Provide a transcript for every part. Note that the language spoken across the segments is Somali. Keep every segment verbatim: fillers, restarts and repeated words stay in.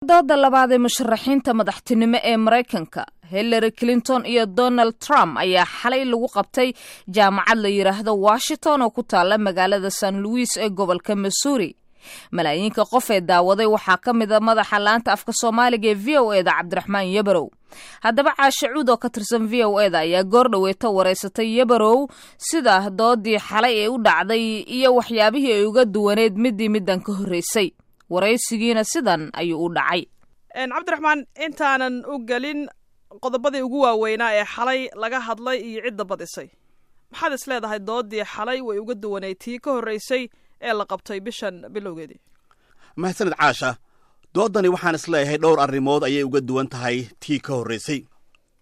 Dooda labaad ee musharaxiinta madaxtinimo ee Maraykanka, Hillary Clinton iyo Donald Trump, ayaa xalay lagu qabtay jaamacad la yidhaahdo Washington oo ku taala magaalada Saint Louis ee gobolka Missouri. Malaayiinka qof ee daawaday waxaa ka mid a madaxa laanta afka Soomaaliga ee V O E da, Cabdiraxmaan Yabarow. Haddaba Caashe Cuud oo ka tirsan V O E da ayaa goor dhoweeta wareysatay Yabarow sida doodii xalay ee u dhacday iyo waxyaabihii ay uga duwaneed midii middan ka horreysay. Waraysigiina sidan ayuu u dhacay. Cabdiraxmaan, intaanan u gelin qodobadii ugu waaweynaa ee xalay laga hadlay iyo cidda badisay, maxaad is leedahay doodii xalay way uga duwaneyd tii ka horreysay ee la qabtay bishan bilowgeedii? Mahadsaned, Caasha. Doodani waxaan isleeyahay dhowr arrimood ayay uga duwan tahay tii ka horraysay.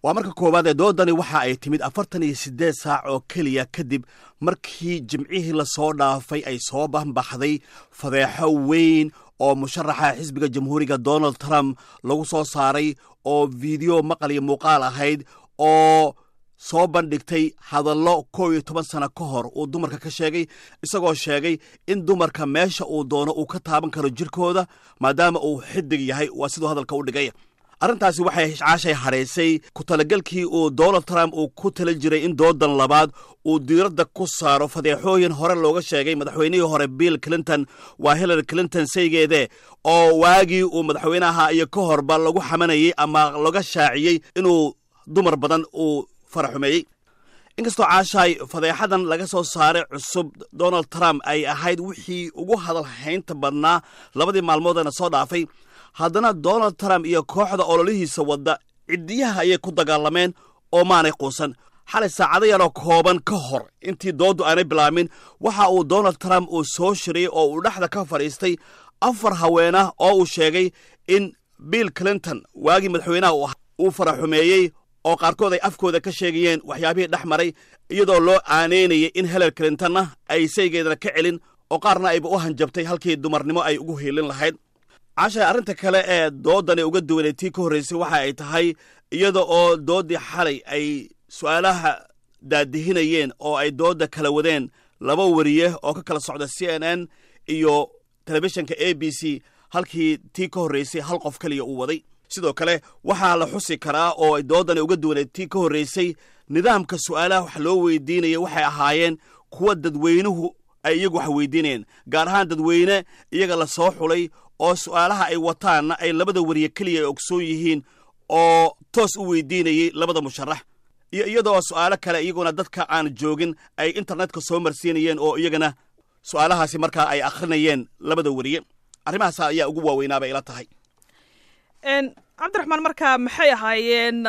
Waa marka koowaad ee doodani waxa ay timid afartan iyo siddeed saac oo keliya kadib markii Jimcihii lasoo dhaafay ay soo banbaxday fadeexo weyn oo musharaxa xisbiga Jamhuuriga Donald Trump lagu soo saaray, oo fiideo maqal iyo muuqaal ahayd oo soo bandhigtay hadallo kow iyo toban sano ka hor uu dumarka ka sheegay, isagoo sheegay in dumarka meesha uu doono uu ka taaban karo jirkooda maadaama uu xidig yahay. Waa siduu hadalka u dhigay. Arrintaasi waxay, Caashay, hadhaysay ku talagelkii uu Donald Trump uu ku tala jiray in doodan labaad uu diiradda ku saaro fadeexooyin hore looga sheegay madaxweynihii hore Bill Clinton, waa Hillary Clinton saygeede, oo waagii uu madaxweynaha iyo ka horba lagu xamanayey ama laga shaaciyey inuu dumar badan uu faraxumeeyey. Inkastoo, Caashaay, fadeexadan laga soo saaray cusub Donald Trump ay ahayd wixii ugu hadal haynta badnaa labadii maalmoodana soo dhaafay, haddana Donald Trump iyo kooxda ololihiisa wadda ciddiyaha ayay ku dagaalameen oo maanay quusan. Xalay saacado yaroo kooban ka hor intii dooddu aanay bilaamin, waxa uu Donald Trump uu soo shiriyey oo uu dhexda ka fadhiistay afar haweenah oo uu sheegay in Bill Clinton waagii madaxweynaha uu faraxumeeyey, oo qaarkood ay afkooda ka sheegayeen waxyaabihii dhex maray, iyadoo loo aaneynayay in Hillary Clintonna ay saygeedana ka celin oo qaarna ayba u hanjabtay halkii dumarnimo ay ugu hiilin lahayd. Caashay, arrinta kale ee doodani uga duwanay tii ka horraysay waxa ay tahay iyada oo dooddii xalay ay su'aalaha daadihinayeen oo ay doodda kala wadeen laba wariye oo ka kala socda C N N iyo telefishinka A B C, halkii tii ka horraysay hal qof keliya uu waday. Sidoo kale waxaa la xusi karaa oo ay doodani uga duwanay tii ka horraysay nidaamka su'aalaha wax loo weydiinaya waxay ahaayeen kuwa dadweynuhu ay iyagu wax weydiinayeen, gaar ahaan dadweyne iyaga la soo xulay oo su'aalaha ay wataanna ay labada wariye keliya ay ogsoon yihiin oo toos u weydiinayey labada musharax, iyo iyadoo su'aalo kale iyaguna dadka aan joogin ay internetka soo marsiinayeen oo iyagana su'aalahaasi markaa ay akhrinayeen labada wariye. Arrimahaas ayaa ugu waaweynaa bay ila tahay. Cabdiraxmaan, markaa maxay ahaayeen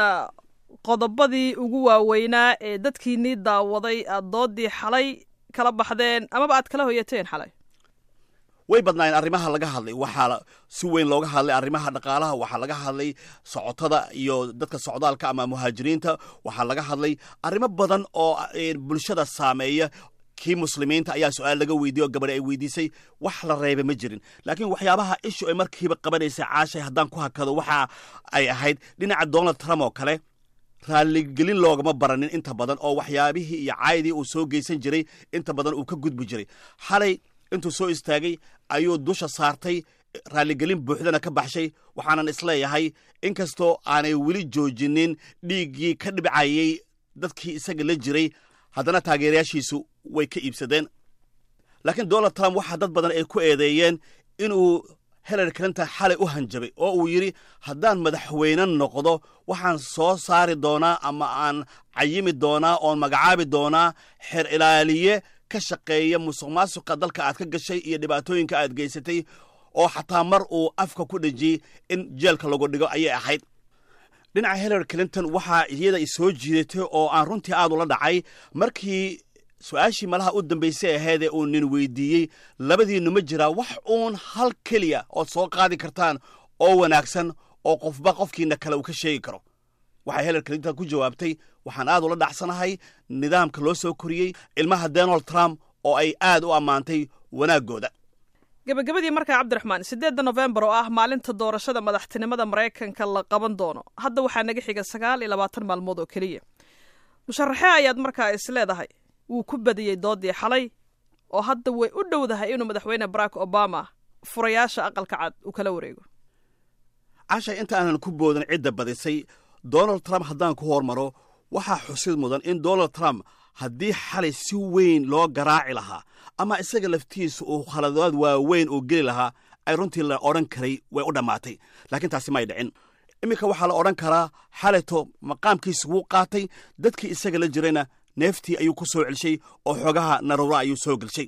qodobadii ugu waaweynaa ee dadkiinii daawaday aad doodii xalay kala baxdeen amaba aad kala hoyateen xalay? Way badnaayeen arrimaha laga hadlay. Waxaa si weyn looga hadlay arrimaha dhaqaalaha, waxaa laga hadlay socotada iyo dadka socdaalka ama muhaajiriinta, waxaa laga hadlay arrimo badan oo bulshada saameeya. Kii Muslimiinta ayaa su-aal laga weydiiye oo gabadhi ay weydiisay. Wax la reebay ma jirin, laakiin waxyaabaha ishu ay markiiba qabanaysay, Caashay, haddaan ku hakado, waxa ay ahayd dhinaca Donald Trump oo kale raalligelin loogama baranin inta badan, oo waxyaabihii iyo caydii uu soo geysan jiray inta badan uu ka gudbi jiray. Xalay intuu soo istaagay ayuu dusha saartay, raalligelin buuxdana ka baxshay. Waxaanan isleeyahay inkastoo aanay weli joojinin dhiiggii ka dhibcayey dadkii isaga la jiray, haddana taageerayaashiisu way ka iibsadeen. Laakiin Donald Trump waxaa dad badan ay ku eedeeyeen inuu Hillary Clinton xalay u hanjabay oo uu yidhi, "Haddaan madaxweyne noqdo, waxaan soo saari doonaa ama aan cayimi doonaa oon magacaabi doonaa xeer ilaaliye ka shaqeeya musuq maasuqa dalka aad ka gashay iyo dhibaatooyinka aad geysatay," oo xataa mar uu afka ku dhejiyey in jeelka lagu dhigo ayay ahayd. Dhinaca Hillary Clinton waxaa iyada soo jiidatay oo aan runtii aad ula dhacay markii su-aashii malaha u dambaysay ahaydee uu nin weydiiyey, "Labadiinnu ma jiraa wax uun hal keliya ood soo qaadi kartaan oo wanaagsan oo qofba qofkiina kale uu ka sheegi karo?" Waxay Hillary Clinton ku jawaabtay, "Waxaan aad ula dhacsanahay nidaamka loo soo koriyey ilmaha Donald Trump," oo ay aad u ammaantay wanaaggooda. Gabagabadii markaa, Cabdiraxmaan, sideedda Nofembar oo ah maalinta doorashada madaxtinimada Maraykanka la qaban doono, hadda waxaa naga xiga sagaal iyo labaatan maalmood oo keliya. Musharaxee ayaad markaa is leedahay wuu ku badiyey doodii xalay oo hadda way u dhowdahay inuu Madaxweyne Barack Obama furayaasha Aqalka Cad uu kala wareego? Casha, inta aanan ku boodan cidda badisay, Donald Trump haddaan ku hormaro, waxaa xusid mudan in Donald Trump haddii xalay si weyn loo garaaci lahaa ama isaga laftiisa uu khaladaad waaweyn uu geli lahaa, ay runtii la odhan karay way u dhammaatay, laakiin taasi may dhicin. Iminka waxaa la odhan karaa xalayto maqaamkiisa wuu qaatay, dadkii isaga la jirayna neeftii ayuu ku soo celshay oo xoogaha naruura ayuu soo gelshay,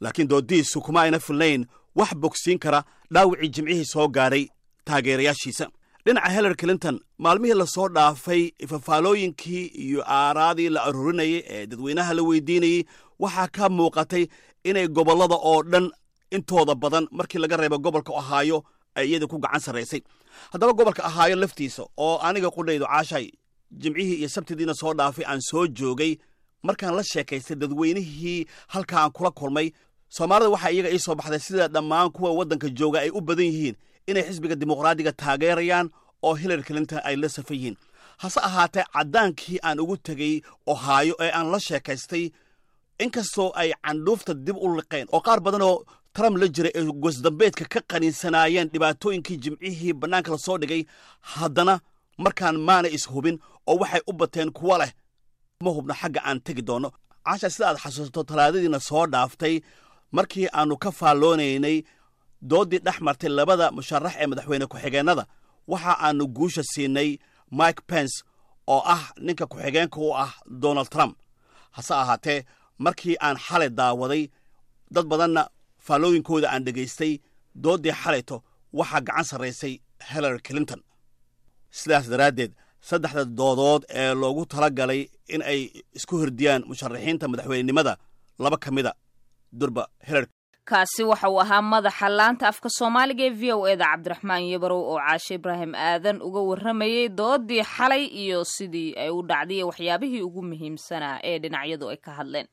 laakiin doodiisu kuma ayna filnayn wax bogsiin kara dhaawicii Jimcihii soo gaadhay taageerayaashiisa. Dhinaca Hillary Clinton, maalmihii lasoo dhaafay fafaalooyinkii iyo aaraadii la aruurinayay ee dadweynaha la weydiinayey waxaa ka muuqatay inay gobollada oo dhan intooda badan, markii laga reebo gobolka Ohio, ay iyada ku gacan sarraysay. Haddaba gobolka Ohio laftiisa, oo aniga qudhaydu, Caashay, Jimcihii iyo Sabtidiina soo dhaafay aan soo joogay, markaan la sheekaystay dadweynihii halkaa aan kula kulmay, Soomaalida, waxaa iyaga ii soo baxday sida dhammaan kuwa waddanka jooga ay u badan yihiin inay xisbiga Dimuqraadiga taageerayaan oo Hillary Clinton ay la safan yihiin. Hase ahaatee caddaankii aan ugu tegey Ohio ee aan la sheekaystay, inkastoo ay candhuufta dib u liqeen oo qaar badanoo Trump la jiray ay goosdambeedka ka qaniinsanaayeen dhibaatooyinkii Jimcihii bannaanka la soo dhigay, haddana markaan maana ishubin oo waxay u bateen kuwa leh ma hubno xagga aan tegi doonno. Caasha, sida aad xasuusato, Talaadadiina soo dhaaftay markii aannu ka faalloonaynay dooddii dhex martay labada musharax ee madaxweyne ku-xigeennada, waxa aannu guusha siinay Mike Pence oo ah ninka ku-xigeenka u ah Donald Trump. Hase ahaatee markii aan xalay daawaday, dad badanna faallooyinkooda aan dhegaystay, dooddii xalayto waxaa gacan sarraysay Hillary Clinton. Sidaas daraaddeed saddexda doodood ee loogu tala galay in ay isku hordiyaan musharaxiinta madaxweynenimada, laba ka mida durba Hillary. Kaasi waxa uu ahaa madaxa laanta afka Soomaaliga ee V O E da, Cabdiraxmaan Yabarow, oo Caashe Ibraahim Aadan uga warramayey doodii xalay iyo sidii ay u dhacday iyo waxyaabihii ugu muhiimsanaa ee dhinacyadu ay ka hadleen.